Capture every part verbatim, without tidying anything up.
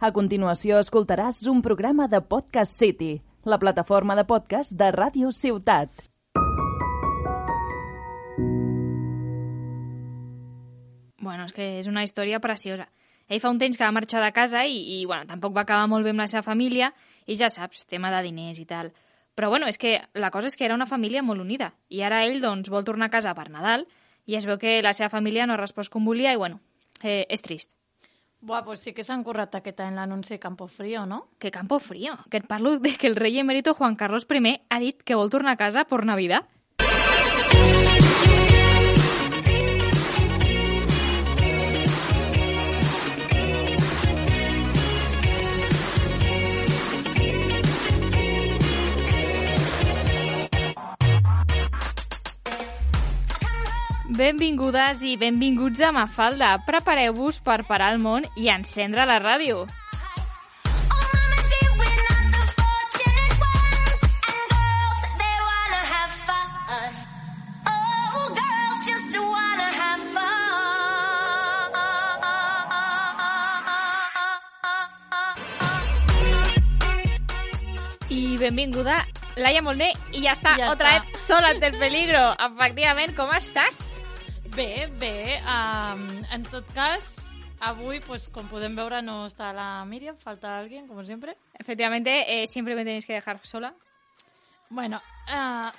A continuació escoltaràs un programa de Podcast City, la plataforma de podcast de Ràdio Ciutat. Bueno, és que és una història preciosa. Ell fa un temps que va marxar de casa i, i bueno, tampoc va acabar molt bé amb la seva família i ja saps, tema de diners i tal. Però bueno, és que la cosa és que era una família molt unida i ara ell doncs vol tornar a casa per Nadal i es veu que la seva família no ha respost com volia i bueno, eh, és trist. Buah, pues sí que s'han currat aquest any l'anunci Campo Frío, no? Que Campo Frío, que et parlo de que el rei emèrito Juan Carlos I ha dit que vol tornar a casa por Navidad. Benvingudes i benvinguts a Mafalda. Prepareu-vos per parar el món i encendre la ràdio. I benvinguda Laia Molné i ja està, ja otra està. vez sola ante el peligro. Efectivament, com estàs? Bé, bé. Um, en tot cas, avui, pues, com podem veure, no està la Míriam, falta alguien, como siempre. Efectivamente, eh, siempre me tenéis que dejar sola. Bueno, uh,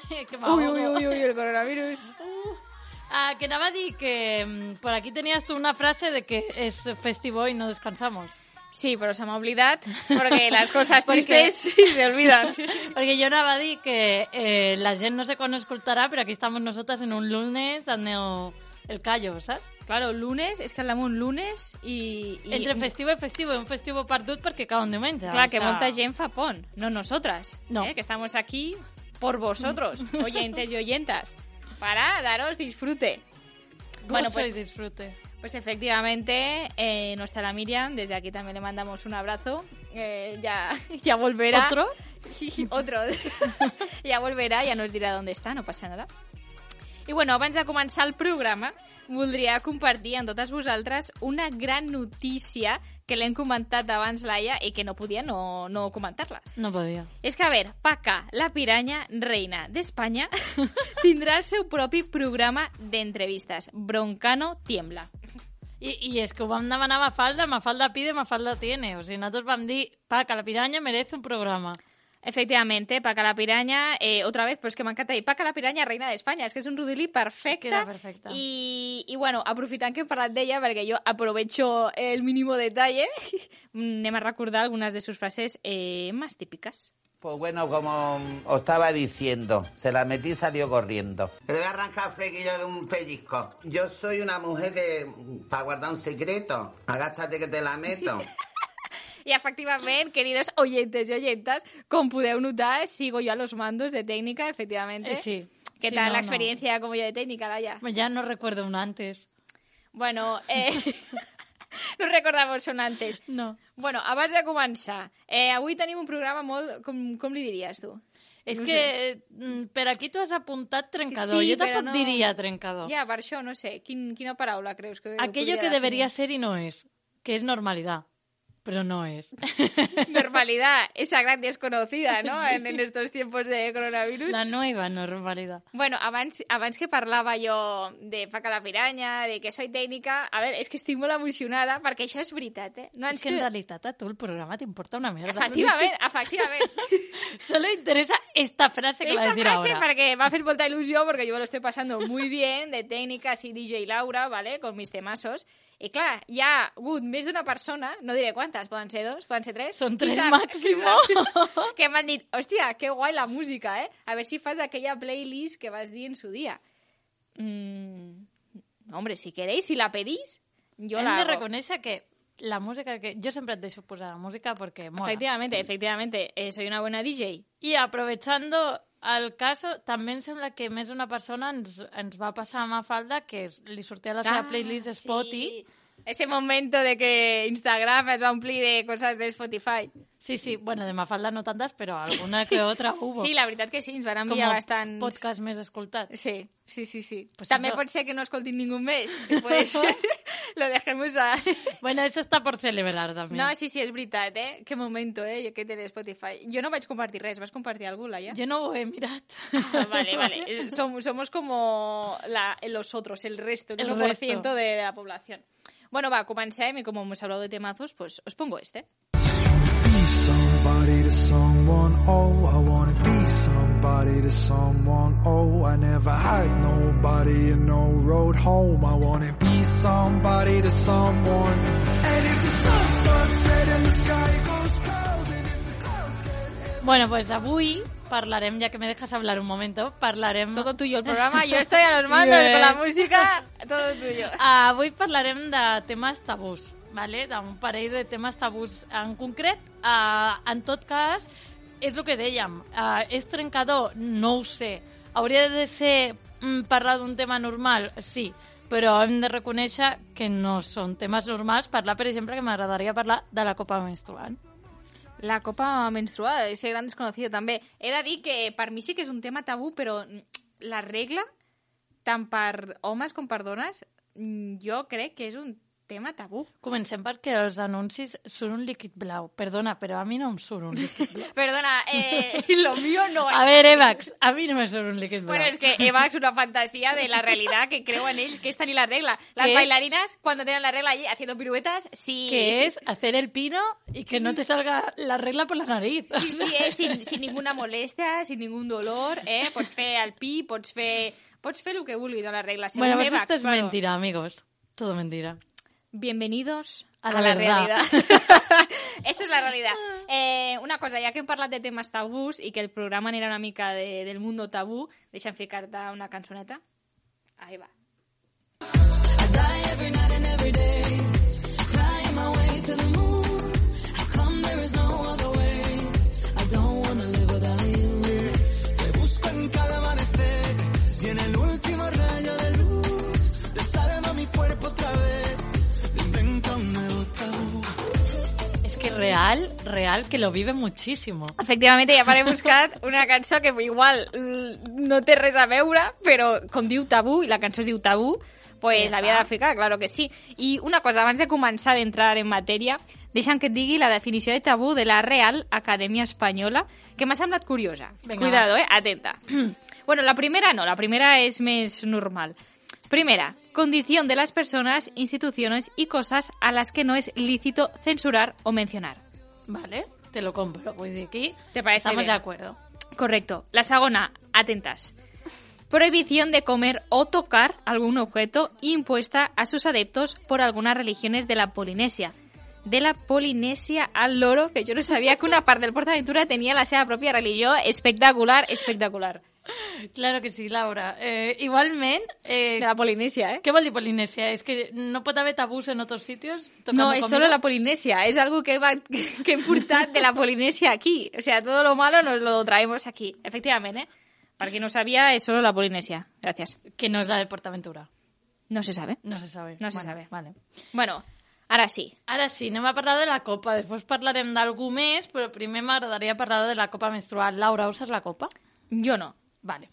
que uy, uy, uy, uy, el coronavirus. Uh, uh, que anava a dir que um, por aquí tenías tú una frase de que es festivo y no descansamos. Sí, però se m'ha oblidat, perquè les coses tristes sí se olvidan. Perquè jo anava a dir que eh, la gent no sé quan escoltarà, però aquí estamos nosotras en un lunes dando el callo, saps? Claro, lunes, és que el damunt lunes i... i... Entre festivo i festivo, un festivo perdut perquè cau un diumenge. Clar, o que sea... molta gent fa pont, no nosotras, no. Eh, que estamos aquí por vosotros, oyentes y oyentas, para daros disfrute. Bueno, pues disfrute. Pues efectivamente, eh, no está la Miriam, desde aquí también le mandamos un abrazo, eh, ya, ya volverá. ¿Otro? Sí, otro. Ya volverá, ya nos dirá dónde está, no passa nada. I bueno, abans de començar el programa, voldria compartir amb totes vosaltres una gran notícia que l'hem comentat abans, Laia, i que no podia no, no comentar-la. No podia. És que, a veure, Paca, la piranya reina d'Espanya, tindrà el seu propi programa d'entrevistes. Broncano tiembla. I, I és que ho vam demanar a Mafalda, Mafalda pide, Mafalda tiene. O sigui, nosaltres vam dir, Paca, la piranya merece un programa. Efectivamente, Paca la piraña, eh, otra vez, pues que m'encanta dir, Paca la piraña, reina d'Espanya, és que és un rodilí perfecte. Queda perfecte. I, i bueno, aprofitant que he parlat d'ella, perquè jo aprovecho el mínimo detalle, anem a recordar algunes de sus frases eh, más típicas. Pues bueno, como os estaba diciendo, se la metí y salió corriendo. Le voy a arrancar flequillo de un pellizco. Yo soy una mujer que, para guardar un secreto, agáchate que te la meto. I, efectivament, queridos oyentes y oyentas, com podeu notar, sigo yo a los mandos de técnica, efectivamente. Eh, sí. ¿Qué sí, tal no, la experiencia no. como yo de técnica, Laia? Ya no recuerdo un antes. Bueno, eh... no recordamos un antes. No. Bueno, abans de començar, eh, avui tenim un programa molt... Com, com li diries, tu? És no que sé. per aquí tu has apuntat trencador. Sí, jo tampoc no... diria trencador. Ja, per això, no sé. Quin, quina paraula creus que Aquello que debería ser y no es, que es normalidad. Pero no es. Normalidad, esa gran desconocida, ¿no? Sí. En, en estos tiempos de coronavirus. La nueva normalidad. Bueno, abans, abans que parlava jo de Paca la piranya, de que soy tècnica, a veure, és que estic molt emocionada perquè això és veritat, eh? No és que en realitat a tu el programa t'importa una merda. Efectivament, efectivament. Solo interesa esta frase que esta va a decir frase ahora. Perquè m'ha fet molta il·lusió, perquè jo me lo estoy pasando muy bien, de técnica, así D J Laura, ¿vale? Con mis temazos. I clar, hi ha hagut més d'una persona, no diré quantes, poden ser dos, poden ser tres? Són tres sap, màximo. Que m'han dit, hòstia, que guai la música, eh? A ver si fas aquella playlist que vas dir en su día. Mm, hombre, si queréis, si la pedís, yo Hem la de hago. reconèixer que la música que... Jo sempre et deixo posar la música porque mola. Efectivamente, efectivamente, eh, soy una buena D J. I aprovechando el caso, també em sembla que més una persona ens, ens va passar a Mafalda que es, li sortia la seva Ah, playlist de Spotify sí. Ese momento de que Instagram es va omplir de coses de Spotify. Sí, sí, bueno, de Mafalda no tantes, però alguna que otra hubo. Sí, la veritat que sí, ens van enviar Com bastants... podcast més escoltat. Sí, sí, sí, sí. Pues També eso. pot ser que no escoltin ningú més. Que puede ser. Lo dejemos a... Bueno, eso está por celebrar també. No, sí, sí, és veritat, eh? Que momento, eh? Que té Spotify. Jo no vaig compartir res, vas compartir algú, Laia? Jo no ho he mirat. Ah, vale, vale. Som, somos como la, los otros, el resto, el, El uno por resto. ciento de la población. Bueno, va, comencem, y como hemos hablado de temazos, pues os pongo este. Be somebody to someone, oh, I wanna be somebody to someone, oh, I never had nobody and no road home, I wanna be somebody to someone, and if the sun starts setting, the sky goes cold, and if the clouds get... Bueno, pues avui parlarem, ya que me dejas hablar un momento, parlarem... Todo tuyo el programa, yo estoy a los mandos Bien. con la música, todo tuyo. Avui parlarem de temes tabús, vale? d'un parell de temes tabús en concret. Uh, en tot cas, és el que dèiem, uh, és trencador? No ho sé. Hauria de ser mm, parlar d'un tema normal? Sí, però hem de reconèixer que no són temes normals. Parlar, per exemple, que m'agradaria parlar de la copa menstrual. La copa menstrual, ese gran desconocido també. He de dir que per mi sí que és un tema tabú, però la regla, tant per homes com per dones, jo crec que és un tema tabú. Comencem perquè els anuncis són un líquid blau. Perdona, però a mi no em surt un líquid blau. Perdona, eh, lo mío no es... A ver, Evax, a mi no me surt un líquid blau. Bueno, es que Eva es una fantasía de la realidad que creuen ells, que es tenir la regla. Las ¿Qué es? bailarinas, cuando tienen la regla allí haciendo piruetas, sí... Que es hacer el pino y que no te salga la regla por la nariz. Sí, sí, eh, sin, sin ninguna molestia, sin ningún dolor, eh? Pots fer el pi, pots fer... Pots fer el que vulguis a la regla. Según Bueno, pues Evax, esto es claro. mentira, amigos. Todo mentira. Bienvenidos a, A la, la realidad. verdad. Esta és la realitat. Eh, una cosa, ja que hem parlat de temes tabús i que el programa anirà una mica de, del mundo tabú, deixa'm ficar-te una cançoneta. Ahí va. Te busco en cada amanecer y en el último rayo de luz desarma mi cuerpo otra vez, me inventa un nuevo tabú. Es que real, real, que lo vive muchísimo. Efectivament, ja m'he buscat una cançó que igual mm, no té res a veure, però com diu tabú, i la cançó es diu tabú, pues Ja l'havia està. de ficar, claro que sí. I una cosa, abans de començar d'entrar en matèria, deixa'm que et digui la definició de tabú de la Real Acadèmia Espanyola, que m'ha semblat curiosa. Venga, Cuidado, va. eh? Atenta. Bueno, la primera no, la primera es més normal. Primera, condición de las personas, instituciones y cosas a las que no es lícito censurar o mencionar. Vale, te lo compro. Voy de aquí. ¿Te parece Estamos bien? de acuerdo. Correcto. La segunda, atentas. Prohibición de comer o tocar algún objeto impuesta a sus adeptos por algunas religiones de la Polinesia. De la Polinesia al loro, que yo no sabía que una part del PortAventura tenia la seva pròpia religió. Espectacular, espectacular. Claro que sí, Laura. Eh, igualment... Eh, De la Polinesia, ¿eh? ¿Qué vol dir Polinesia? ¿Es que no puede haber tabús en otros sitios? tocando No, es comida? solo la Polinesia. Es algo que, va, que hem portat de la Polinesia aquí. O sea, todo lo malo nos lo traemos aquí. Efectivamente, ¿eh? Para quien no sabía, es solo la Polinesia. Gracias. Que no es la de PortAventura. No se sabe. No se sabe. No se Bueno, sabe. Vale. Bueno, ara sí. Ara sí, anem a parlar de la copa. Després parlarem d'algú més, però primer m'agradaria parlar de la copa menstrual. Laura, ¿usas la copa? Yo no. Vale.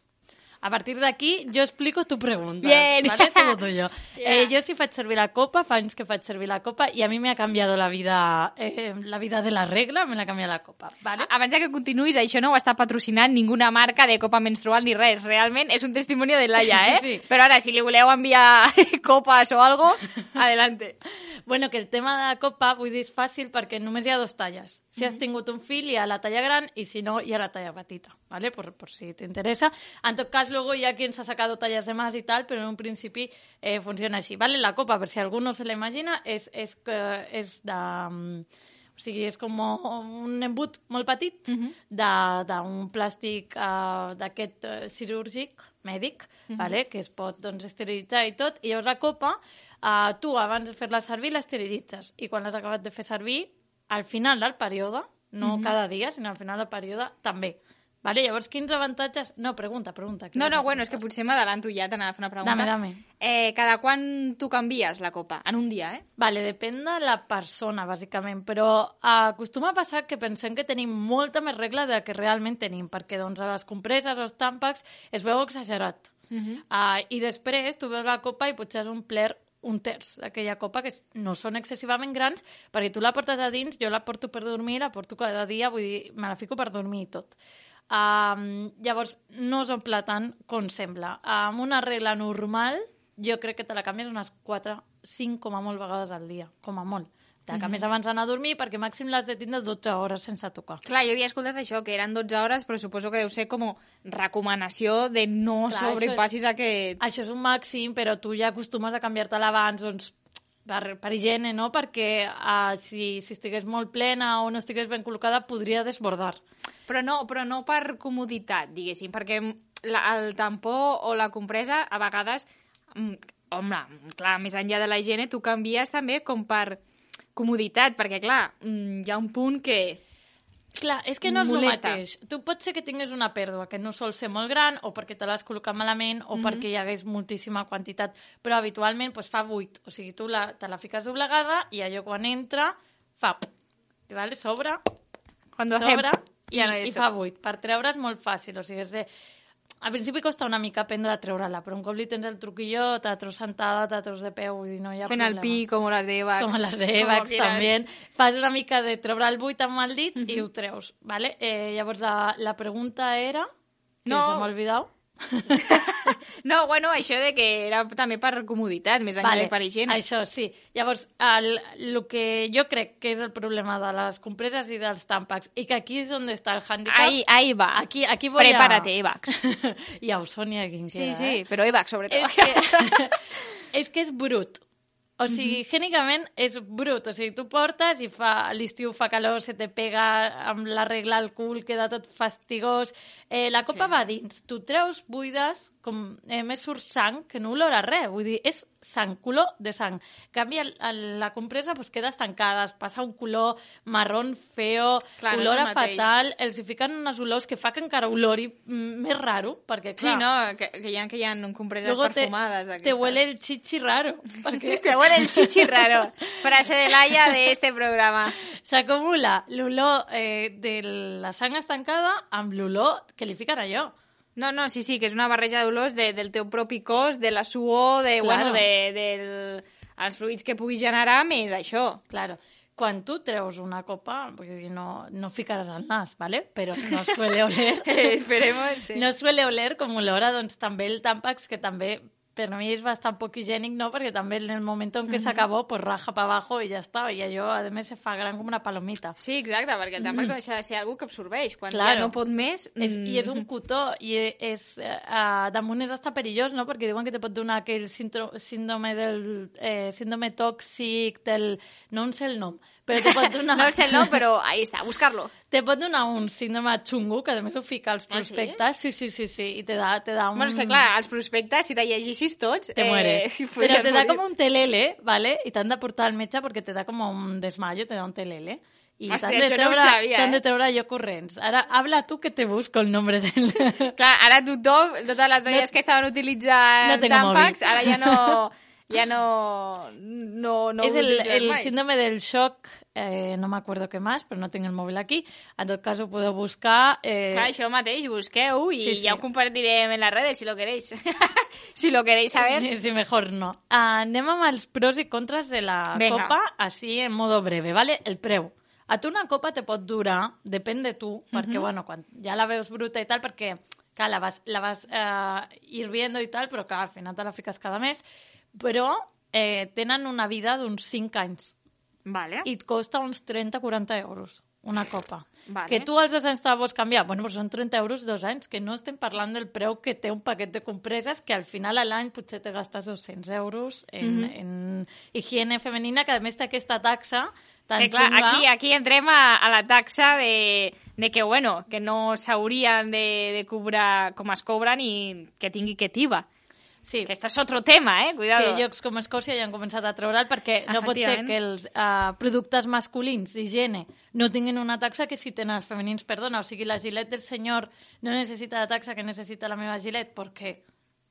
A partir d'aquí, jo explico tu pregunta. Bien. ¿Vale? Todo tuyo. Yeah. Eh, jo sí faig servir la copa, fa anys que faig servir la copa, i a mi me ha canviado la vida, eh, la vida de la regla, me la canvia la copa. ¿Vale? Abans de que continuïs, això no ho està patrocinant ninguna marca de copa menstrual ni res. Realment és un testimoni de Laia, eh? Sí, sí. Però ara, si li voleu enviar copes o algo, adelante. Bueno, que el tema de la copa, vull dir, és fàcil perquè només hi ha dos talles. Si has tingut un fill, hi ha la talla gran, i si no, hi ha la talla petita, ¿vale? Por, por si te interesa. En tot cas, luego hi ha quien se ha sacado tallas de más y tal, pero en un principi eh, funciona així. ¿Vale? La copa, per si algú no se la imagina, és, és, que és de... um, O sigui, és com un embut molt petit uh -huh. d'un plàstic uh, d'aquest uh, quirúrgic, mèdic, uh -huh. vale? Que es pot doncs, esterilitzar i tot. I llavors la copa, uh, tu abans de fer-la servir l'esterilitzes. I quan l'has acabat de fer servir, al final del període, no uh -huh. cada dia, sinó al final del període, també. Vale? Llavors, quins avantatges... No, pregunta, pregunta. No, no, bueno, és que potser m'adalanto ja, t'anava a fer una pregunta. Dame, dame. Eh, cada quan tu canvies la copa? En un dia, eh? Vale, depèn de la persona, bàsicament, però acostuma a passar que pensem que tenim molta més regla de que realment tenim, perquè doncs, a les compreses o els tàmpacs es veu exagerat. Uh-huh. uh, I després tu veus la copa i potser has omplert un terç d'aquella copa, que no són excessivament grans, perquè tu la portes a dins, jo la porto per dormir, la porto cada dia, vull dir, me la fico per dormir i tot. Um, llavors, no s'omple tant com sembla. Amb una regla normal, jo crec que te la canvies unes quatre, cinc com a molt vegades al dia, com a molt. Te la canvies mm-hmm. abans d'anar a dormir, perquè màxim l'has de tindre dotze hores sense tocar. Clar, jo havia escoltat això, que eren dotze hores, però suposo que deu ser com recomanació de no Clar, sobrepassis és, aquest... Això és un màxim, però tu ja acostumes a canviar-te-la abans, doncs, per, per higiene, no? Perquè uh, si, si estigués molt plena o no estigués ben col·locada, podria desbordar. Però no, però no per comoditat, diguéssim, perquè la, el tampó o la compresa, a vegades, home, clar, més enllà de la higiene, tu canvies també com per comoditat, perquè, clar, hi ha un punt que... Clar, és que no és molesta. el mateix. Tu pot ser que tinguis una pèrdua que no sol ser molt gran, o perquè te l'has col·locat malament, o mm-hmm. perquè hi hagués moltíssima quantitat, però habitualment pues, fa buit. O sigui, tu la, te la fiques doblegada i allò quan entra fa... I vale, sobre, Cuando sobre i, ja no i fa buit. Per treure és molt fàcil. O sigui, és de... Al principi costa una mica aprendre a treure-la, però un cop li tens el truquillo, te la treus sentada, te la treus de peu, vull dir, no hi ha Fent problema. el pi, com les d'Evax. Com les d'Evax, també. Fas una mica de treure el buit amb el dit uh-huh. i ho treus, ¿vale? Eh, llavors, la, la pregunta era... Que no. se m'ha oblidat. No, bueno, això de que era també per comoditat, més enllà vale, de per higiene. Això, sí. Llavors, el, el que jo crec que és el problema de les compreses i dels tàmpacs, i que aquí és on està el handicap... Ahí, ahí va. Aquí, aquí voy Prepárate, a... Evax. Ja ho Sònia, quin sí, queda, sí, eh? però Evax, sobretot. És que, és que és brut. O sigui, mm-hmm. gènicament és brut. O sigui, tu portes i fa, a l'estiu fa calor, se te pega amb la regla al cul, queda tot fastigós. Eh, la copa sí. va dins. Tu treus buides, com eh, més surt sang, que no olora res. Vull dir, és sang, color de sang. En canvi, el, el, la compresa pues, queda estancada, es passa un color marrón feo, clar, olora no fatal, els hi fiquen unes olors que fa que encara olori més raro, perquè clar... Sí, no, que, que hi ha, que hi ha compreses Luego perfumades. Te, te huele el chichi raro. Perquè... te huele el chichi raro. Frase de Laia de este programa. S'acumula l'olor eh, de la sang estancada amb l'olor que li fiquen allò. No, no, sí, sí, que és una barreja d'olors de, del teu propi cos, de la suor, de, claro. bueno, de, de els fruits que pugui generar, més això. Claro. Quan tu treus una copa, vull dir, no, no ficaràs el nas, ¿vale? Però no suele oler... Esperemos, sí. No suele oler com olora, doncs també el Tampax, que també per mi és bastant poc higiènic, no? Perquè també en el moment en què mm-hmm. s'acabó, pues raja pa abajo i ja està. I allò, a més, se fa gran com una palomita. Sí, exacte, perquè el Tampax mm. deixa de ser algú que absorbeix. Quan claro. ja no pot més... Mm. És, I és un cotó, i és, uh, damunt és hasta perillós, no? Perquè diuen que te pot donar aquell síndrome del... Eh, síndrome tòxic del... No en sé el nom, però te pot donar... no sé el nom, però ahí està, buscar-lo. Te pot donar un síndrome xungo, que a més ho fica als prospectes. Ah, sí? sí, sí, sí, sí, i te da, te da un... Bueno, és que clar, als prospectes, si te llegissis tots... Te mueres. Eh, però te da com un telele, ¿vale? I t'han de portar al metge perquè te da com un desmayo, te da un telele. I Hòstia, t'han de, treure, no sabia, t'han eh? de treure allò corrents. Ara, habla tu que te busco el nombre del... Clar, ara tothom, totes les noies no, que estaven utilitzant no Tampax, ara ja no... Ja no... no, no és el, el mai. síndrome del shock, eh, no m'acuerdo què més, però no tinc el mòbil aquí. En tot cas, ho podeu buscar. Eh... Clar, això mateix, busqueu i sí, sí. ja ho compartirem en les redes, si lo queréis. si lo queréis saber. Sí, sí, mejor no. Uh, anem amb els pros i contres de la Venga. copa, així en modo breve, ¿vale? El preu. A tu una copa te pot durar, depèn de tu, perquè, uh-huh. bueno, quan ja la veus bruta i tal, perquè, clar, la vas, la vas uh, hirviendo i tal, però, clar, al final te la fiques cada mes, però eh, tenen una vida d'uns cinc anys. Vale. I et costa uns trenta a quaranta euros una copa. Vale. Que tu als dos anys te la vols canviar, bueno, doncs són trenta euros dos anys, que no estem parlant del preu que té un paquet de compreses, que al final a l'any potser te gastes dos-cents euros en, mm-hmm. en higiene femenina, que a més té aquesta taxa tan que, clar, xunga. aquí, aquí entrem a, a la taxa de, de que, bueno, que no s'haurien de, de cobrar com es cobren i que tingui que tiba. Sí. Que esto és otro tema, eh? Cuidado. Que llocs com Escòcia ja han començat a treure'l perquè no pot ser que els uh, productes masculins d'higiene no tinguin una taxa que si tenen els femenins, perdona. O sigui, la Gillette del senyor no necessita la taxa que necessita la meva Gillette perquè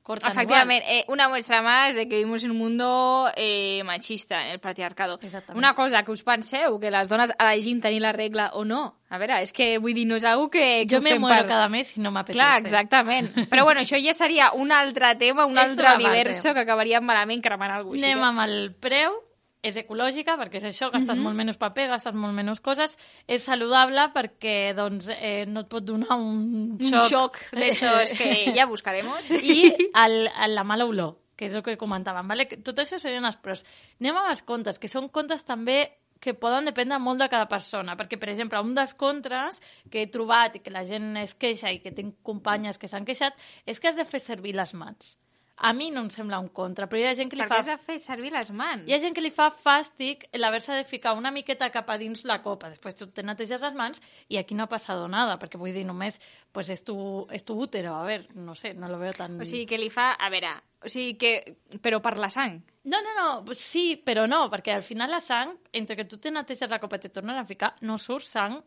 cortan Efectivamente, igual. eh, una muestra más de que vivimos en un mundo eh, machista, en el patriarcado. Una cosa, que us penseu que les dones elegim tenir la regla o no? A veure, és que vull dir, no és algo que... que jo me muero per... cada mes i no m'apetece. Clar, exactament. Però bueno, això ja seria un altre tema, un Esto altre universo que acabaríem malament cremant algú així. Anem amb el preu. És ecològica, perquè és això, gastes mm-hmm. molt menys paper, gastes molt menys coses. És saludable perquè doncs, eh, no et pot donar un xoc. Un xoc d'estos que ja buscaremos. I el, el, la mala olor, que és el que comentàvem. Vale? Tot això serien els pros. Anem amb els contes, que són contes també que poden dependre molt de cada persona, perquè, per exemple, un dels contres que he trobat i que la gent es queixa i que tinc companyes que s'han queixat és que has de fer servir les mans. A mi no em sembla un contra, però hi ha gent que li per fa... què has de fer servir les mans? Hi ha gent que li fa fàstic l'haver-se de ficar una miqueta cap a dins la copa. Després tu te neteges les mans i aquí no ha passat nada, perquè vull dir, només pues, és, tu, és tu útero. A veure, no sé, no lo veo tan... O sigui, que li fa... A veure, o sigui que... Però per la sang. No, no, no, sí, però no, perquè al final la sang, entre que tu te neteges la copa i te tornes a ficar, no surt sang.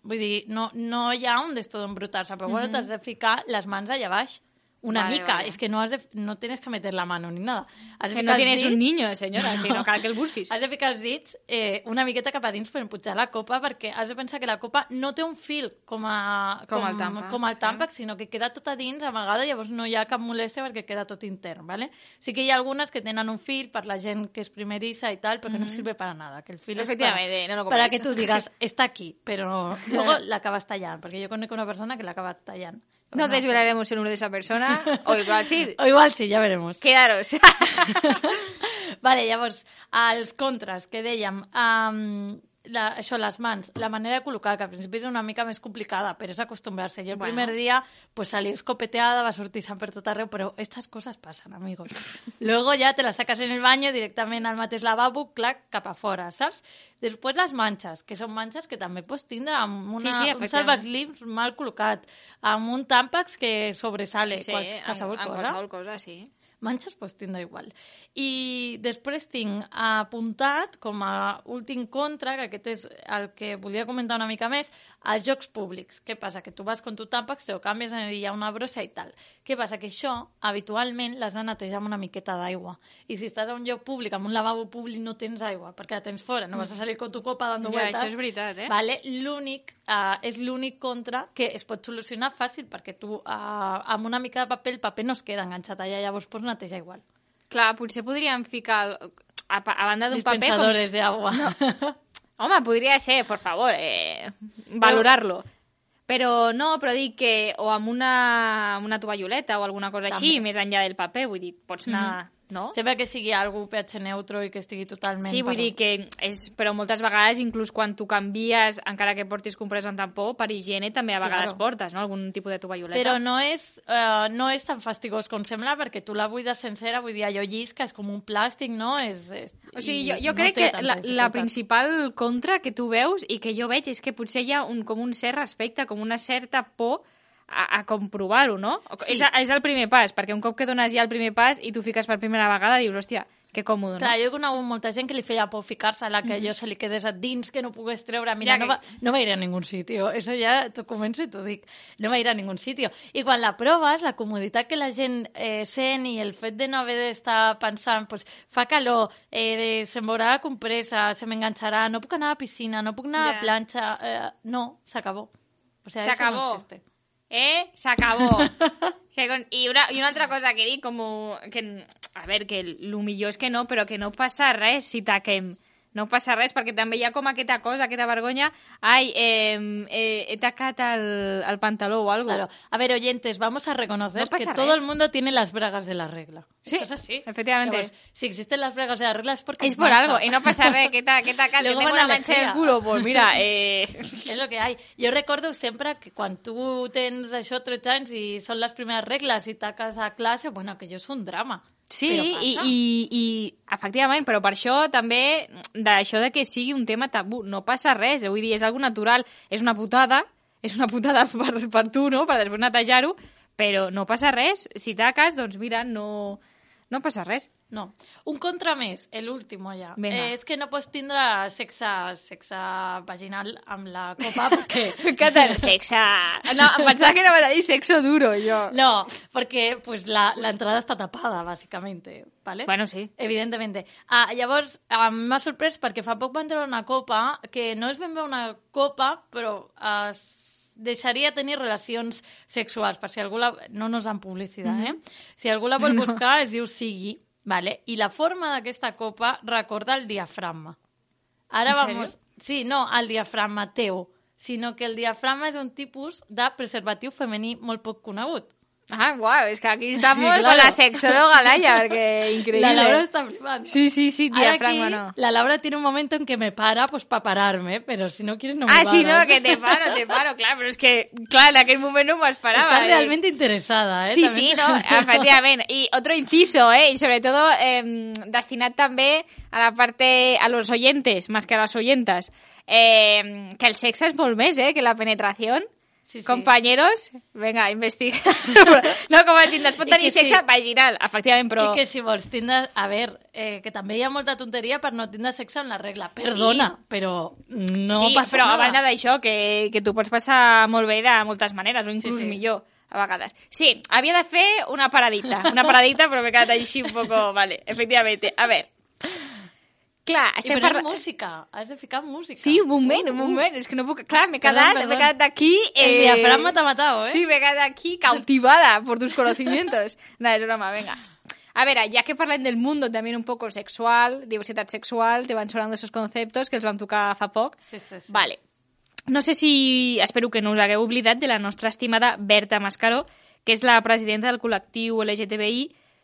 Vull dir, no, no hi ha un d'esto d'embrutar-se, però bueno, mm-hmm. t'has de ficar les mans allà baix. Una vale, mica, vale. Es que no, has de, no tienes que meter la mano ni nada. Has que no tienes dits, un niño, senyora, no. Si no cal que el busquis. Has de ficar els dits eh, una miqueta cap a dins per empujar la copa, perquè has de pensar que la copa no té un fil com, a, com, com el tàmpac, com el tàmpac sí. Sinó que queda tot a dins, amagada, llavors no hi ha cap molèstia perquè queda tot intern, ¿vale? Sí que hi ha algunes que tenen un fil per la gent que és primerissa i tal, però que mm-hmm. no sirve para nada, que el fil és para, no lo para que tu digues, està aquí, però luego l'acabes tallant, perquè jo conec una persona que l'acaba tallant. No desvelaremos el nombre de esa persona, o igual sí. O igual sí, ja veremos. Quedaros. Vale, llavors, els contres que dèiem, um, la, això, les mans, la manera de col·locar, que al principi és una mica més complicada, però és acostumbrar-se. Jo el bueno. primer dia pues salí escopeteada, va sortir sant per tot arreu, però estas cosas pasan, amigos. Luego ya te las sacas en el baño directament al mateix lavabo, clac, cap a fora, saps? Després les manxes, que són manxes que també pots tindre amb una, sí, sí, un salvaslims mal col·locat, amb un tàmpax que sobresale. Sí, qual, qualsevol amb, cosa. amb qualsevol cosa, sí. Manxes pots tindre igual. I després tinc apuntat com a últim contra, que aquest és el que volia comentar una mica més, als llocs públics. Què passa? Que tu vas con tu tàmpax, te ho canvies, hi ha una brossa i tal. Què passa? Que això, habitualment, l'has de netejar amb una miqueta d'aigua. I si estàs a un lloc públic, amb un lavabo públic, no tens aigua, perquè la tens fora, no vas a salir con tu copa dando ja, vueltas. Això és veritat, eh? Vale? L'únic, uh, és l'únic contra que es pot solucionar fàcil, perquè tu, uh, amb una mica de paper, el paper no es queda enganxat allà, llavors pots netejar igual. Clar, potser podríem ficar, a, a banda d'un paper... Dispensadores com... de agua. No. Home, podria ser, por favor, eh, valorarlo. Però no, però dic que o amb una, una tovalloleta o alguna cosa també. Així, més enllà del paper, vull dir, pots anar... Mm-hmm. No? Sempre que sigui algú pH neutro i que estigui totalment... Sí, vull per... dir que és... Però moltes vegades, inclús quan tu canvies, encara que portis comprès en tampó, per higiene també a vegades claro. Portes, no? Algun tipus de tovalloleta. Però no és, uh, no és tan fastigós com sembla, perquè tu la buides sencera, vull dir, allò llisca, és com un plàstic, no? És, és... O sigui, jo, jo no crec que la, la principal contra que tu veus i que jo veig és que potser hi ha un, com un cert respecte, com una certa por a, a comprovar-ho, no? Sí. És, és el primer pas, perquè un cop que dones ja el primer pas i tu fiques per primera vegada, dius, hòstia, que còmode, no? Clar, jo he conegut molta gent que li feia por ficar-se a la que mm-hmm. allò se li quedés a dins, que no pogués treure. Mira, ja no, va, no va ir a ningún sitio. Eso ya t'ho començo i t'ho dic. No va ir a ningún sitio. I quan la proves, la comoditat que la gent eh, sent i el fet de no haver d'estar pensant, pues, fa calor, eh, de, se'm veurà la compresa, se m'enganxarà, no puc anar a la piscina, no puc anar yeah. a la planxa... Eh, no, s'acabó. O sea, s'acabó. Eso no existe. Eh, s'acabó. que con... I, una, I una altra cosa que dic, com que, a veure, que el millor és que no, però que no passa res si taquem. No passa res, perquè també hi ha com aquesta cosa, aquesta vergonya. Ai, eh, eh, he tacat el, el pantaló o algo. Claro. A ver, oyentes, vamos a reconocer no que res. Todo el mundo tiene las bragas de la regla. Sí, Esto es así. Efectivamente. Llavors, si existen las bragas de la regla es porque... Es por mancha. Algo, y no pasa res, que he tacat, que tengo una mancha en el culo, pues mira... Eh... És lo que hay. Jo recordo sempre que quan tu tens això tretze anys i són les primeres regles i taques a classe, bueno, que jo és un drama. Sí, i, i, i efectivament, però per això també, d'això de que sigui un tema tabú, no passa res, vull dir, és algo natural, és una putada, és una putada per, per tu, no?, per després netejar-ho, però no passa res. Si taques, doncs mira, no, no passa res. No. Un contra més, l'últim ja. Venga. Eh, és que no pots tindre sexe, sexe vaginal amb la copa perquè... Què tal? Sexe... No, em pensava que anaves a dir sexo duro, jo. No, perquè pues, la, la entrada està tapada, bàsicamente. ¿Vale? Bueno, sí. Evidentemente. Ah, llavors, ah, m'ha sorprès perquè fa poc van treure una copa que no és ben bé una copa, però es deixaria tenir relacions sexuals, per si algú la... No nos dan publicitat, eh? Si algú la vol buscar, es diu Sigui. Vale? I la forma d'aquesta copa recorda el diafragma. Ara ¿En vamos... Sí, no el diafragma teu, sinó que el diafragma és un tipus de preservatiu femení molt poc conegut. Ah, guau, es que aquí estamos Sí, claro. con la sexóloga Laia, porque increíble. La Laura está flipando. Sí, sí, sí, Ahora diafragma aquí, no. la Laura tiene un momento en que me para, pues para pararme, pero si no quieres no me Ah, paras. sí, no, que te paro, te paro, clar, però és que, clar, en aquell moment no m'ho esperava. Estás eh. realmente interesada, ¿eh? Sí, También sí, te- no, efectivament. Y otro inciso, ¿eh? Y sobre todo eh, destinat també a la parte, a los oyentes, más que a las oyentas, eh, que el sexe és molt més, ¿eh? Que la penetración. Sí, sí. Compañeros, venga, investiga. No, com a tindre, es pot I tenir que sexe sí. vaginal, efectivament, però... I que si vols tindre... A veure, eh, que també hi ha molta tonteria per no tindre sexe en la regla. Perdona, sí. però no sí, passa però nada. a banda d'això, que, que tu pots passar molt bé de moltes maneres, o inclús Sí, sí. millor, a vegades. Sí, havia de fer una paradita, una paradita, però m'he quedat així un poco... Vale, efectivamente. A veure, clar, I estem poner parlant... música, has de ficar música. Sí, un moment, Uh, un uh. moment, és que no puc... Clar, m'he Perdón, quedat, perdón. m'he quedat aquí... El diafragma t'ha matado, ¿eh? Sí, m'he quedat aquí cautivada por tus conocimientos. No, és broma, venga. A veure, ya que parlem del mundo también un poco sexual, diversidad sexual, te van sonando esos conceptos que els vam tocar fa poc. Sí, sí, sí. Vale. No sé si... Espero que no us hagueu oblidat de la nostra estimada Berta Mascaró, que és la presidenta del col·lectiu L G T B I,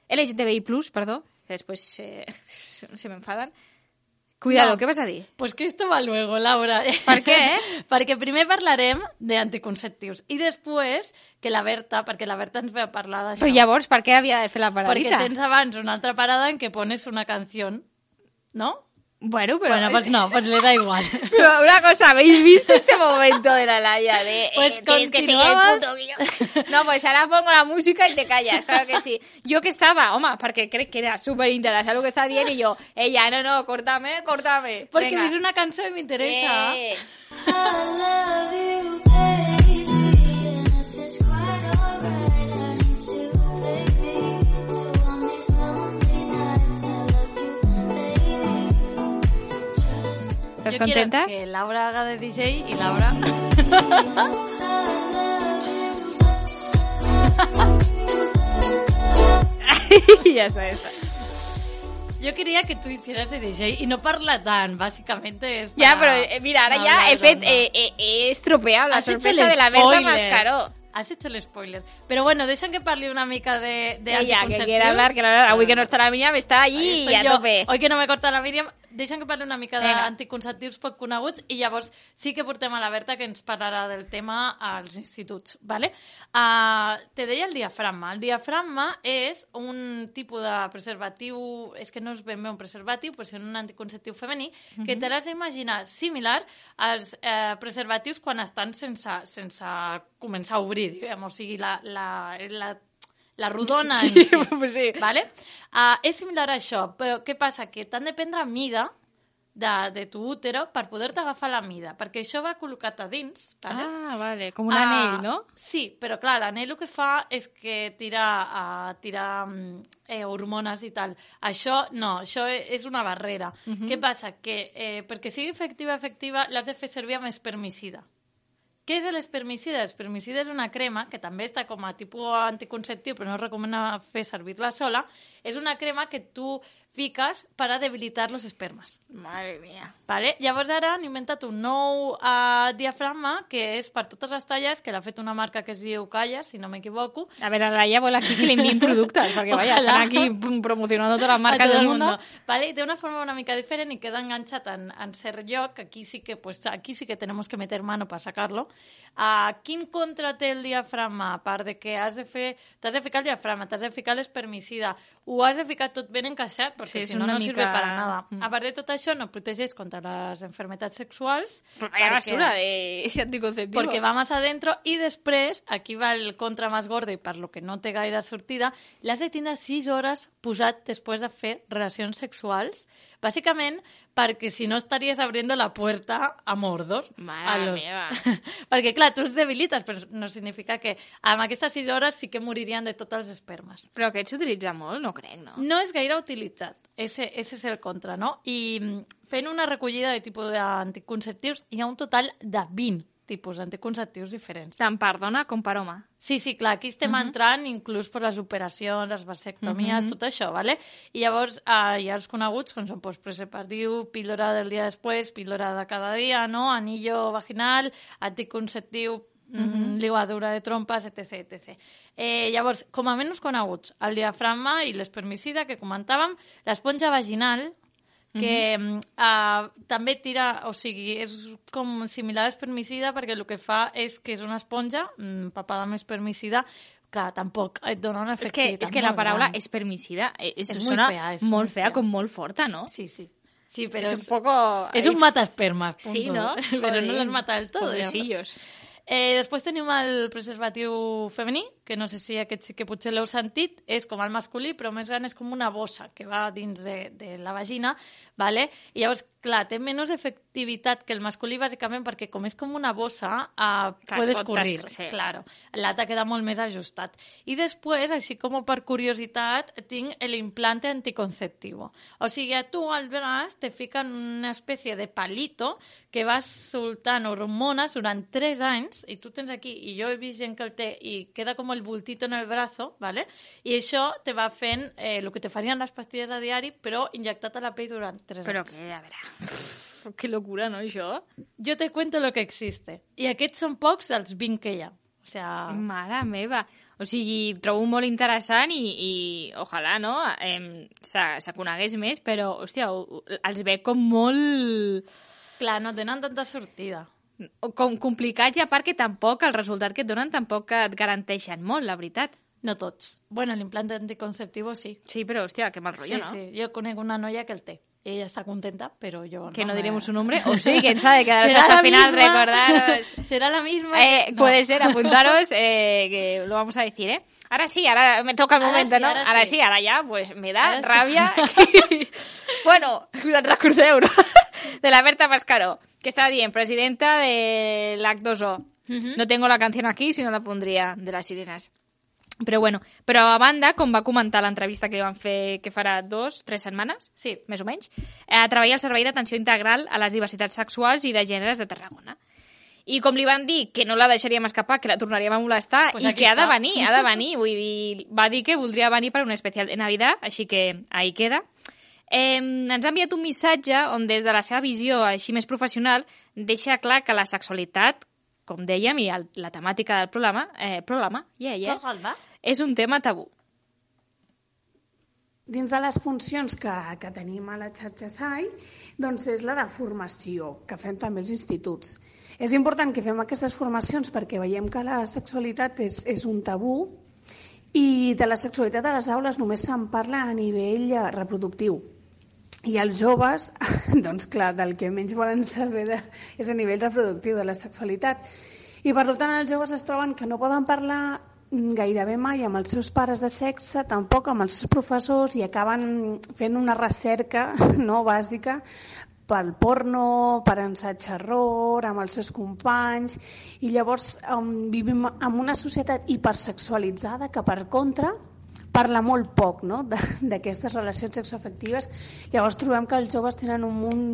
L G T B I plus, perdó, que després eh, se m'enfaden. Cuidado, No. què vas a dir? Pues que esto va luego, Laura. Per què? Perquè primer parlarem d'anticonceptius i després que la Berta, perquè la Berta ens ve a parlar d'això. Però llavors, per què havia de fer la Perquè paradita? tens abans una altra parada en què pones una canción, ¿no? Bueno, pero... Bueno, pues no, pues le da igual. Pero una cosa, ¿habéis visto este momento de la Laia? De, Pues eh, tienes que seguir el continuamos. puto guió. No, pues ahora pongo la música y te callas, claro que sí. Yo que estaba, home, perquè crec que era súper interesante lo que estaba dient, y yo, ella, no, no, córtame, córtame. Porque Venga. ves una canción y me interesa. Eh. ¿Estás Yo contenta? quiero que Laura haga de D J y Laura... ya está, ya está. Yo quería que tú hicieras de D J y no parla tan, básicamente es Ya, para- pero eh, mira, ahora No, ya no, he, no, fet, no. eh, eh, he estropeado la Has hecho sorpresa el de la Berta spoiler. Mascaró. Has hecho el spoiler. Pero bueno, deixa'm que parli una mica de, de Ella, que anticonceptius. quiere hablar, que la verdad, avui que no está la Miriam, está Ahí allí estoy a yo. tope. Hoy que no me corta la Míriam, deixa'm que parli una mica Vinga. d'anticonceptius poc coneguts i llavors sí que portem a la Berta que ens parlarà del tema als instituts, ¿vale? Uh, te deia el diafragma. El diafragma és un tipus de preservatiu, és que no és ben bé un preservatiu, però és un anticonceptiu femení, que te l'has d'imaginar similar als eh, preservatius quan estan sense, sense començar a obrir, diguem, o sigui, la, la, la la rodona Sí, en si. pues sí. ¿Vale? Uh, és similar a això, però què passa? Que t'han de prendre mida de, de tu útero per poder-te agafar la mida, perquè això va col·locat a dins, ¿vale? Ah, vale, com un Ah, anell, no? Sí, però clar, l'anell el que fa és que tira, uh, tira mm, eh, hormones i tal. Això no, això és una barrera. Mhm. Què passa? Que eh, perquè sigui efectiva, efectiva, l'has de fer servir amb espermicida. Què és l'espermicida? L'espermicida és una crema que també està com a tipus anticonceptiu, però no es recomana fer servir-la sola. És una crema que tu fiques per a debilitar los espermas. Madre mía. Vale? Llavors ara han inventat un nou uh, diafragma que és per totes les talles, que l'ha fet una marca que es diu Calla, si no m'equivoco. A ver, a la Laia vol aquí que le envíen productos, porque vaya, Ojalá. están aquí pum, promocionando todas las A marcas tot del el mundo. Vale? I té una forma una mica diferent i queda enganxat en, en cert lloc. Aquí sí que, pues, aquí sí que tenemos que meter mano para sacarlo. Uh, quin contra té el diafragma? A part de que has de fer, t'has de ficar el diafragma, t'has de ficar l'espermicida, ho has de ficar tot ben encaixat, perquè Sí, és si no, una no mica- sirve para nada. Mm. A part de tot això, no protegeix contra les enfermedades sexuals. Però vaya perquè- basura de anticonceptivo. Porque va más adentro y després, aquí va el contra más gordo i per lo que no té gaire sortida, l'has de tindre sis hores posat després de fer relacions sexuals, bàsicament perquè si no estaries abriendo la puerta a Mordor. Mare a los... meva. perquè, clar, tu els debilites, però no significa que amb aquestes sis hores sí que moririen de tots els espermes. Però aquest s'utilitza molt, no crec, no? No és gaire utilitzat. Ese, ese és el contra, no? I mm, fent una recollida de tipus d'anticonceptius, hi ha un total de vint tipus d'anticonceptius diferents. Tant per dona com per home. Sí, sí, clar, aquí estem uh -huh. entrant inclús per les operacions, les vasectomies, uh -huh. tot això, ¿vale? I llavors eh, hi ha els coneguts, com són pues, preservatiu, píldora del dia després, píldora de cada dia, no? Anillo vaginal, anticonceptiu, uh -huh. ligadura de trompes, etc etcètera. Eh, llavors, com a menys coneguts, el diafragma i l'espermicida, que comentàvem, l'esponja vaginal, que uh-huh. uh, també tira, o sigui, és com similar a l'espermicida perquè el que fa és que és una esponja mm, papada amb espermicida que tampoc et dona una És que, efectivitat és que la molt paraula gran. espermicida és, És és molt sona fea, és molt molt fea, fea. com molt forta, no? Sí, sí. Sí, però és és, un poco... és un mataespermas, punto. Sí, no? Però no les mata del tot. Pobrecillos. Eh, després tenim el preservatiu femení, que no sé si aquest sí que potser l'heu sentit, és com el masculí, però més gran és com una bossa que va dins de, de la vagina, ¿vale? I llavors, clar, té menys efectivitat que el masculí, bàsicament perquè com és com una bossa, uh, Clar, puedes pot corrir, tas- sí. claro. L'altre queda molt més ajustat. I després, així com per curiositat, tinc l'implante anticonceptivo. O sigui, a tu al braç te fiquen una espècie de palito que vas soltant hormones durant tres anys, i tu tens aquí, i jo he vist gent que el té, i queda com el bultito en el brazo, ¿vale? I això te va fent eh, el que te farien les pastilles a diari, però injectat a la pell durant tres Però anys. que, a veure... Uf, que locura, no, això? Jo te cuento lo que existe. I aquests són pocs dels vint que hi ha. O sea... Mare meva. O sigui, trobo molt interessant i, i ojalà, no?, eh, se, se conegués més, però, hòstia, ho- els veig com molt... Clar, no tenen tanta sortida. com complicats, i a part que tampoc, el resultat que et donen tampoc et garanteixen molt, la veritat. No tots. Bueno, l'implante anticonceptivo sí. Sí, però, hòstia, que mal rotllo, sí, no? sí. Jo conec una noia que el té. Ella està contenta, però jo Que no me- diremos su nombre. O sí, quién sabe, quedaros ¿Será hasta la el final, misma? recordaros. ¿Será la misma? Eh, No. Puede ser, apuntaros, eh, que lo vamos a decir, ¿eh? Ahora sí, ahora me toca el Ahora momento, sí, ¿no? ahora Ahora sí. sí, ahora ya, pues me da Ahora sí. rabia. Bueno, recordeu, no? De la Berta Mascaró, que estaba bien, presidenta de l'H dos O. Mhm. No tengo la canción aquí, si no la pondría, de las sirenas. Però bueno, però a banda, com va comentar l'entrevista que li van fer, que farà dos, tres setmanes, Sí. més o menys, eh, treballa al Servei d'Atenció Integral a les Diversitats Sexuals i de Gèneres de Tarragona. I com li van dir que no la deixaríem escapar, que la tornaríem a molestar, Pues i aquí que ha de està. venir, ha de venir. Vull dir, va dir que voldria venir per un especial de Navidad, així que ahí queda. Eh, ens ha enviat un missatge on des de la seva visió així més professional deixa clar que la sexualitat, com dèiem, i el, la temàtica del programa, eh, programa, yeah, yeah, Programa. és un tema tabú. Dins de les funcions que, que tenim a la xarxa S A I, doncs és la de formació, que fem també els instituts. És important que fem aquestes formacions perquè veiem que la sexualitat és, és un tabú i de la sexualitat a les aules només se'n parla a nivell eh, reproductiu. I els joves, doncs clar, del que menys volen saber de, és a nivell reproductiu de la sexualitat. I per tant els joves es troben que no poden parlar gairebé mai amb els seus pares de sexe, tampoc amb els seus professors, i acaben fent una recerca no bàsica pel porno, per ensaig-error, amb els seus companys, i llavors um, vivim en una societat hipersexualitzada que, per contra, parla molt poc, no?, d'aquestes relacions sexoafectives. Llavors trobem que els joves tenen un munt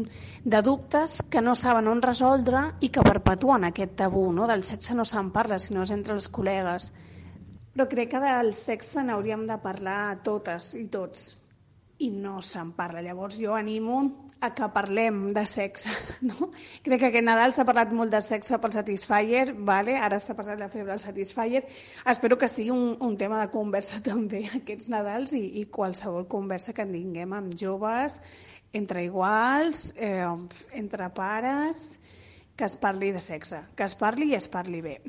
de dubtes que no saben on resoldre i que perpetuen aquest tabú, no?, del sexe no se'n parla, sinó és entre els col·legues. Però crec que del sexe n'hauríem de parlar totes i tots, i no se'n parla. Llavors jo animo a que parlem de sexe, no? Crec que aquest Nadal s'ha parlat molt de sexe pel Satisfyer, vale? Ara s'ha passat la febre al Satisfyer. Espero que sigui un, un tema de conversa també aquests Nadals i, i qualsevol conversa que en tinguem amb joves, entre iguals, eh, entre pares, que es parli de sexe, que es parli i es parli bé.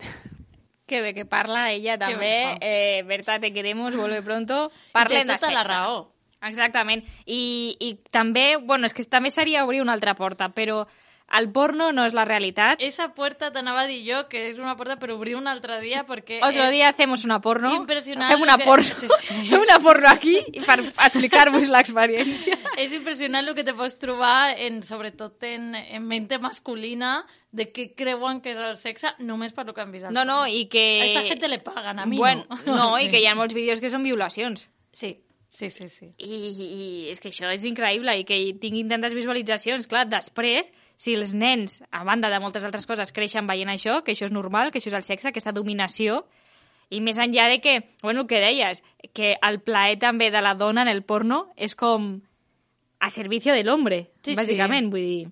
Que bé que parla ella Que també. bé fa. Eh, Berta, te queremos, vuelve pronto. I té Parlem de tota sexe. la raó. Exactament. I, i també, bueno, és que també seria obrir una altra porta, però el porno no és la realitat. Esa puerta t'anava a dir jo que és una porta per obrir un altre dia perquè Otro és día hacemos una porno. impressionant. Fem una que... porno. Sí, sí. Fem una porno aquí per explicar-vos l'experiència. És impressionant el que te pots trobar, en, sobretot en, en mente masculina, de què creuen que és el sexe només per lo que han vist. No, no, i que... A esta gente le pagan, a mi bueno, no. No, Sí. i que hi ha molts vídeos que són violacions. Sí, sí, sí. sí. I, i és que això és increïble i que tinguin tantes visualitzacions. Clar, després, si els nens, a banda de moltes altres coses, creixen veient això, que això és normal, que això és el sexe, aquesta dominació, i més enllà de que, bueno, el que deies, que el plaer també de la dona en el porno és com a servicio del hombre, Sí, bàsicament, sí. vull dir.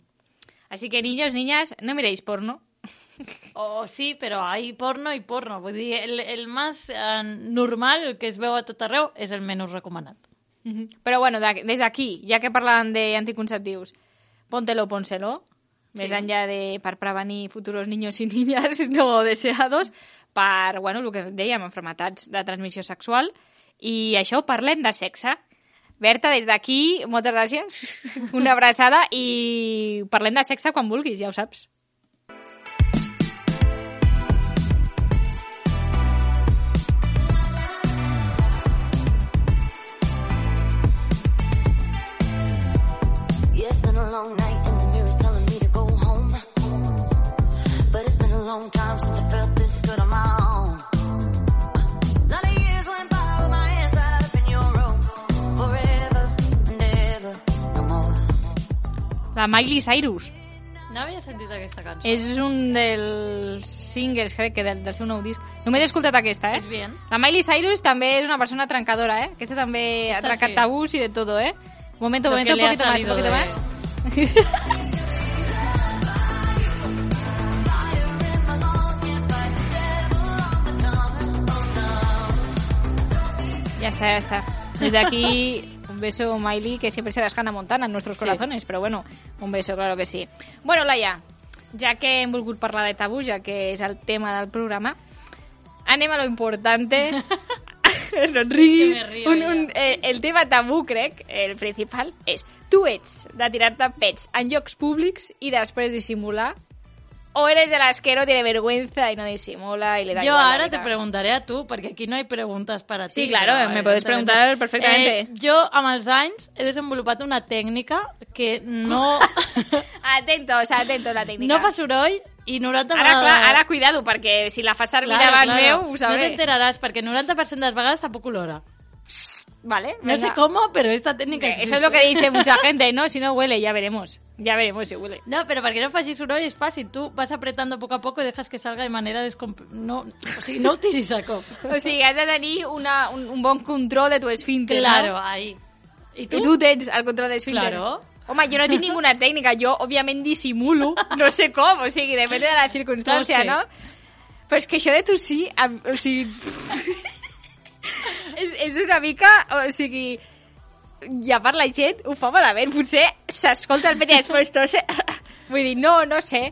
Así que, niños, niñas, no miréis porno. O sí, però hay porno i porno. Vull dir, el, el més eh, normal, el que es veu a tot arreu, és el menys recomanat. Uh-huh. Però bueno, de, des d'aquí, ja que parlàvem d'anticonceptius, póntelo, pónselo, més Sí. enllà de per prevenir futuros niños i niñas no deseados, per, bueno, el que dèiem, malalties de transmissió sexual, i això, parlem de sexe. Berta, des d'aquí, moltes gràcies, una abraçada, i parlem de sexe quan vulguis, ja ho saps. Yeah, it's been a long night and the mirror's telling me to go home. But it's been a long time since I felt this good on my own. A lot of years went by with my hands tied up in your ropes. Forever and ever, no more. La Miley Cyrus. No havia sentit aquesta cançó. És un dels singles, crec que del, del seu nou disc. Només he escoltat aquesta, eh? És bien. La Miley Cyrus també és una persona trencadora, eh? Aquesta també ha Esta trencat sí. tabús i de todo, eh? Momento, Lo momento, que un le ha poquito más, un salido poquito de- más. Ya está, ya está. Desde aquí, un beso, Miley, que siempre serás Hannah Montana en nuestros Sí. corazones, pero bueno, un beso, claro que sí. Bueno, Laia, ja que hem volgut parlar de tabús, ja que és el tema del programa, anem a lo importante. No et riguis. Que me río Un, ja. un, eh, el tema tabú, crec, el principal, és tu ets de tirar-te pets en llocs públics i després dissimular, o eres de las que no tiene vergüenza y no disimula y le da Yo igual la ahora vida? te preguntaré a tu, perquè aquí no hay preguntas para ti. Sí, claro, però, me puedes evidentemente. preguntar perfectamente. Eh, jo, amb els anys, he desenvolupat una tècnica que no, Atentos, atentos la tècnica. no fa soroll i noranta Ara, vegades... clar, ara cuidado, perquè si la fas servir davant meu, ho No sabré. t'enteraràs, perquè noranta per cent de les vegades tampoc olora. Vale, No sé venga. cómo, pero esta técnica Eh, existe. Eso es lo que dice mucha gente, ¿no? Si no huele, ya veremos. Ya veremos si huele. No, pero perquè no facis soroll és fàcil. Tu vas apretando poco a poco y dejas que salga de manera descomp... No, o sigui, no ho tiris a cop. O sigui, has de tenir una, un, un bon control de tu esfínter, Claro, no? ahí. I I tu? tu tens el control d'esfínter. Claro. Home, jo no tinc ninguna tècnica, jo, òbviament, dissimulo, no sé com, o sigui, depèn de la circumstància, No no? sé. Però és que això de tossir, em- o sigui... és, és una mica, o sigui... Ja per la gent ho fa malament, potser s'escolta el pet i després tosse... Vull dir, no, no sé...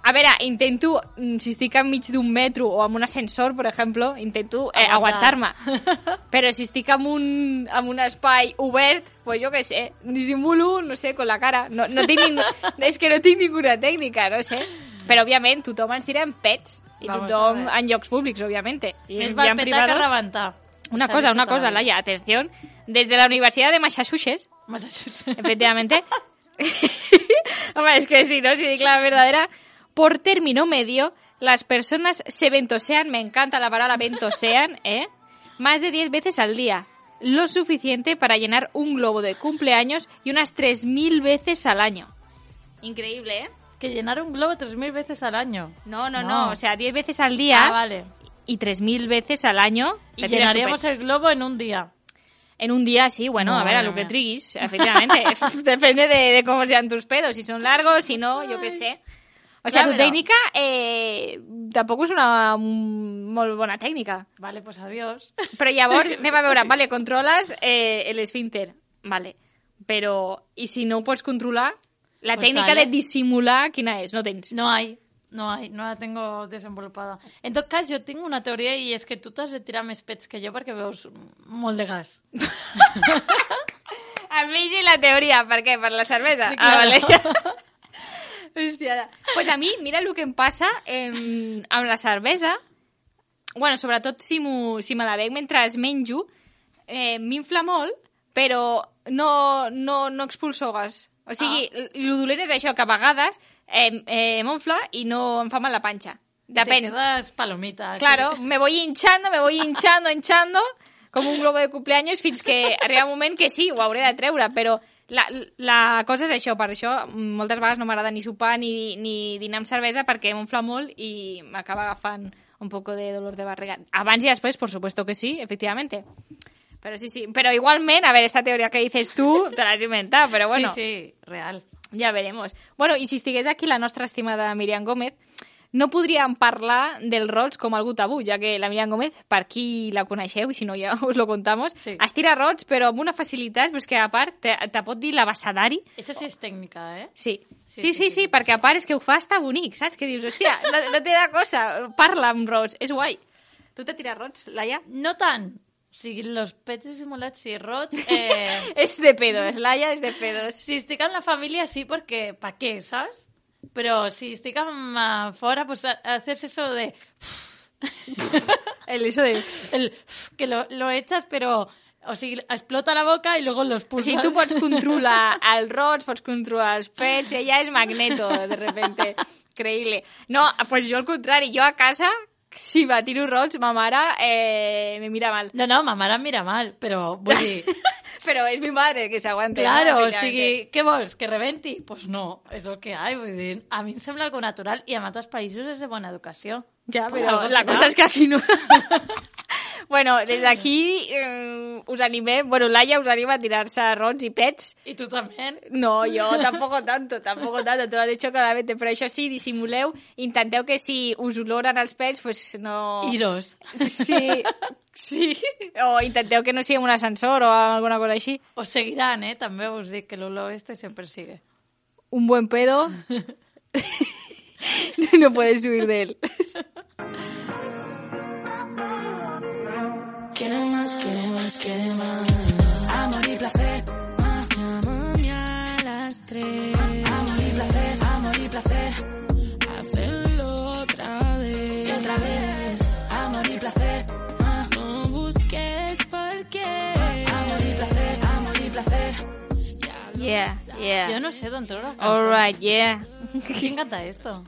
A veure, intento, mm, si estic enmig d'un metro o amb un ascensor, per exemple, intento eh, Aguantar. aguantar-me. Però si estic en un, en un espai obert, pues jo què sé, dissimulo, no sé, con la cara. No, no tinc ningú... És que no tinc ninguna tècnica, no sé. Però, òbviament, tothom ens tira en pets. I Vamos a tothom ver. en llocs públics, òbviament. I Més hi val ha petar que privados. rebentar. Una Está cosa, dicho una cosa, todavía. Laia, atención. Desde la Universidad de Massachusetts, Massachusetts. efectivamente. Hombre, es que si no, si digo la verdadera. Por término medio, las personas se ventosean, me encanta la palabra ventosean, ¿eh? Más de diez veces al día. Lo suficiente para llenar un globo de cumpleaños y unas tres mil veces al año. Increíble, ¿eh? Que llenar un globo tres mil veces al año. No, no, no, No. o sea, diez veces al día Ah, vale. y tres mil veces al año. Y te tiras tu llenaríamos pets. el globo en un día. En un día sí, bueno, a ver, a Madre lo que mía. triguis, efectivamente. Depende de, de cómo sean tus pedos, si son largos, si no, yo qué sé. O sea, Ya tu verás. técnica eh, tampoc és una mm, molt bona tècnica. Vale, pues adiós. Però llavors, anem a veure, vale, controles eh, l'esfínter, vale, però, i si no ho pots controlar, la Pues tècnica sale. de dissimular, quina és? No tens. No hay, no hay, no la tengo desenvolupada. En tot cas, jo tinc una teoria i és que tu t'has de tirar més pets que jo perquè veus molt de gas. El mig i la teoria. Per què? Per la cervesa? Sí, claro. Ah, vale. Hòstia. Pues a mi, mira el que em passa eh, amb la cervesa. Bueno, sobretot si, si me la bec mentre es menjo, eh, m'infla molt, però no, no, no expulso gas. O sigui, ah. el dolent és això, que a vegades eh, eh, m'onfla i no em fa mal la panxa. Depèn. Te quedas palomita. Claro, me voy hinchando, me voy hinchando, hinchando, com un globo de cumpleaños, fins que arriba un moment que sí, ho hauré de treure, però la, la cosa és això, per això moltes vegades no m'agrada ni sopar ni, ni dinar amb cervesa perquè m'onfla molt i m'acaba agafant un poco de dolor de barriga. Abans i després, por supuesto que sí, efectivamente. Pero sí, sí. Pero igualmente, a ver, esta teoría que dices tú, te la has inventado, pero bueno. Sí, sí, real. Ja veremos. Bueno, i si estigués aquí la nostra estimada Míriam Gómez, no podríem parlar del rots com algú tabú, ja que la Míriam Gómez, per qui la coneixeu, i si no ja us lo contamos, sí. estira rots, però amb una facilitat, però és que a part te, te pot dir l'abassadari. Això sí és tècnica, eh? Sí. Sí, sí, sí, sí, sí, perquè a part és que ho fa estar bonic, saps? Que dius, hòstia, no, no té de cosa, parla amb rots, és guai. Tu te tires rots, Laia? No tant. O sigui, los pets dissimulats sí, rots... Eh... és de pedos, Laia és de pedos. Si estic en la família sí, perquè pa què, saps? Però si estic amb, uh, fora, pues haces eso de... El eso de... El que lo, lo echas, pero... O sigui, explota la boca i luego los pulsas. O sigui, tu pots controlar els rots, pots controlar els pets, i ella és Magneto, de repente. Creïble. No, pues jo al contrari, jo a casa... Si va tiro rots, ma mare eh, me mira mal. No, no, ma mare em mira mal, però vull dir... però és mi madre, que s'aguanta. Claro, no, o sigui, què vols, que rebenti? Pues no, és el que hi ha, vull dir, a mi em sembla algo natural i en altres països és de bona educació. Ja, però la cosa és que aquí no... Bueno, des d'aquí eh, us animem, bueno, Laia us anima a tirar-se rots i pets. I tu també? No, jo tampoco tanto, tampoco tanto, te lo he dicho claramente, però això sí, dissimuleu, intenteu que si us oloren els pets, pues no... Iros. Sí, sí, o intenteu que no sigui un ascensor o alguna cosa així. Os seguiran, eh, també us dic que l'olor este sempre sigue. Un buen pedo, no puedes huir de él. Quieren más, quieren más, quieren más. Amor y placer. Llámame a las tres. Amor y placer, amor y placer. Hacerlo otra vez. Y otra vez. Amor y placer. No busques por qué. Amor y placer, amor y placer. Yeah, yeah. Jo no sé d'on treure la cançó. All right, yeah. Qui canta esto?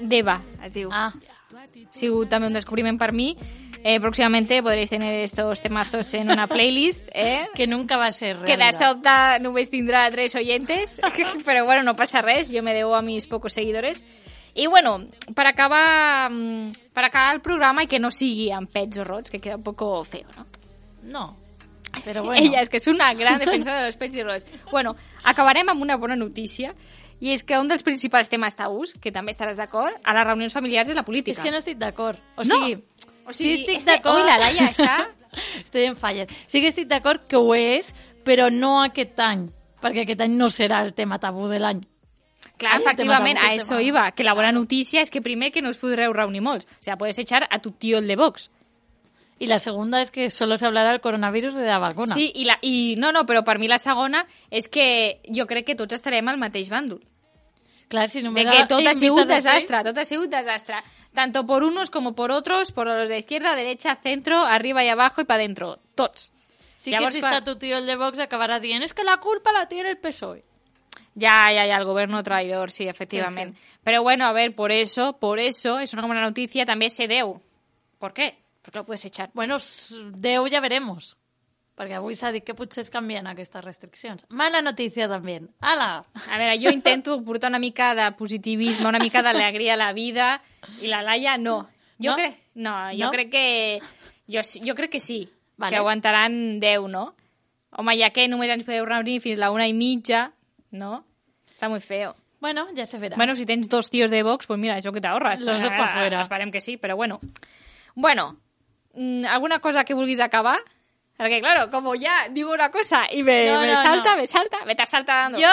Deva, es diu. Ah. Ha sigut també un descubriment per mi. Eh, próximamente podréis tener estos temazos en una playlist, ¿eh? Que nunca va a ser Que de realidad. sobte només tindrà tres oyentes, però bueno, no passa res, jo me debo a mis pocos seguidores. I bueno, per acabar, per acabar el programa i que no sigui amb pets o rots, que queda un poco feo, ¿no? No, però bueno. Ella és que és una gran defensora dels pets i rots. Bueno, acabarem amb una bona notícia, i és que un dels principals temes tabús, que també estaràs d'acord, a les reunions familiars és la política. És que no estic d'acord. O No. sigui, O sigui, sí estic este... d'acord. Ui, la Laia està... Estoy en falla. Sí que estic d'acord que ho és, però no aquest any, perquè aquest any no serà el tema tabú de l'any. Clar, Ai, efectivament, el tema a tabú, eso el tema. iba, que la bona notícia és que primer que no us podreu reunir molts. O sea, puedes echar a tu tío el de Vox. Y la segunda es que solo se hablará del coronavirus de la vacuna. Sí, i, la, i no, no, però per mi la segona és que jo crec que tots estarem al mateix bàndol. Clar, si no De me que da tot ha invitas sigut a seis, desastre, tot ha sigut desastre. Tanto por unos como por otros, por los de izquierda, derecha, centro, arriba y abajo y para adentro. Tots. Sí Llavors, que si clar, està tu tío el de Vox acabará dient es que la culpa la tiene el P S O E. Ya, ya, ya, el gobierno traidor, sí, efectivamente. Sí, sí. Pero bueno, a ver, por eso, por eso, es una buena noticia, también se deu. ¿Por qué? Porque lo puedes echar. Bueno, s- Déu ja veremos. Perquè avui s'ha dit que potser es canvien aquestes restriccions. Mala notícia també. Ala! A veure, jo intento portar una mica de positivisme, una mica d'alegria a la vida, i la Laia no. Jo No? crec, no, jo No? crec que jo, sí- jo crec que sí, Vale. que aguantaran deu, no? Home, ja que només ens podeu reunir fins la una i mitja, no? Està muy feo. Bueno, ja se verà. Bueno, si tens dos tíos de Vox, pues mira, eso que te ahorras. Los dos pa' fuera. Esperem que sí, però bueno. Bueno, mm, ¿alguna cosa que vulguis acabar? Porque claro, como ya digo una cosa y me, No, me no, salta, no. me salta, me estás saltando. Jo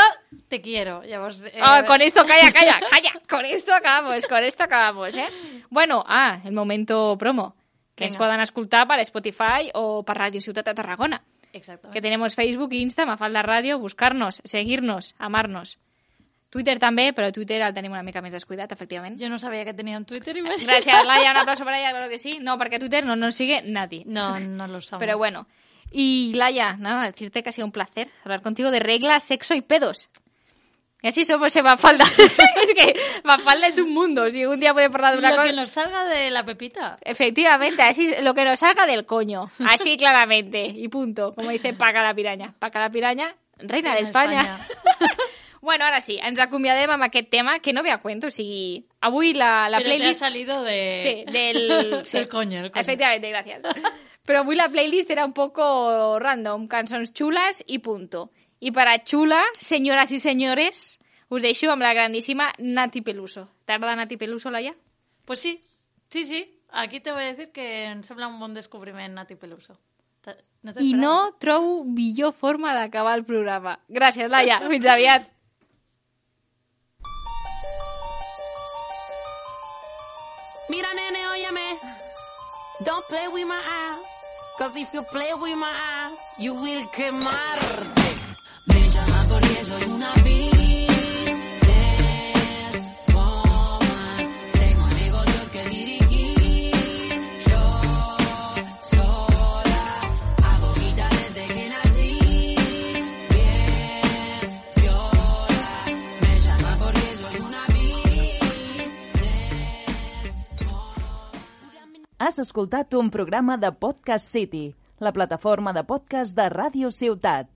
te quiero. Llavors, eh, Ah, con esto, calla, calla, calla. Con esto acabamos, con esto acabamos, eh? Bueno, ah, el momento promo. Que ens Vinga. poden escoltar per Spotify o per Ràdio Ciutat de Tarragona. Exactamente. Que tenemos Facebook e Insta, Mafalda Radio, buscar-nos, seguir-nos, amar-nos. Twitter també, però Twitter el tenim una mica més descuidat, efectivament. Jo no sabia que tenien Twitter. I Gràcies, Laia, un aplauso para ella, claro que sí. No, perquè Twitter no nos sigue nadie. No, no lo sabemos. Pero bueno. Y Laia, nada, decirte que ha sido un placer hablar contigo de reglas, sexo y pedos. Y así somos en Mafalda. Es que Mafalda es un mundo. Si un día puede hablar de una lo cosa... que nos salga de la pepita. Efectivamente, así es, lo que nos salga del coño. Así claramente. Y punto. Como dice Paca la Piraña. Paca la Piraña, reina de España. Bueno, ara sí, ens acomiadem amb aquest tema, que no ve a cuento, o sigui, avui la, la Pero playlist... te ha salido de... Sí, del... Sí. del coño, el coño. Efectivamente, gracias. Però avui la playlist era un poco random, cançons xules i punto. I per a xula, senyores i senyores, us deixo amb la grandíssima Nati Peluso. T'agrada Nati Peluso, Laia? Pues sí, sí, sí. Aquí te voy a decir que em sembla un bon descobriment Nati Peluso. No I no trobo millor forma d'acabar el programa. Gràcies, Laia. Fins aviat. Mira, nene, óyeme. Don't play with my eyes. Cause if you play with my eyes, you will quemarte. Me llaman porque soy una business woman. Tengo negocios que dirigir. Yo sola hago guita desde que nací. Bien, viola. Me llaman porque soy una Has escoltat un programa de Podcast City, la plataforma de podcast de Ràdio Ciutat.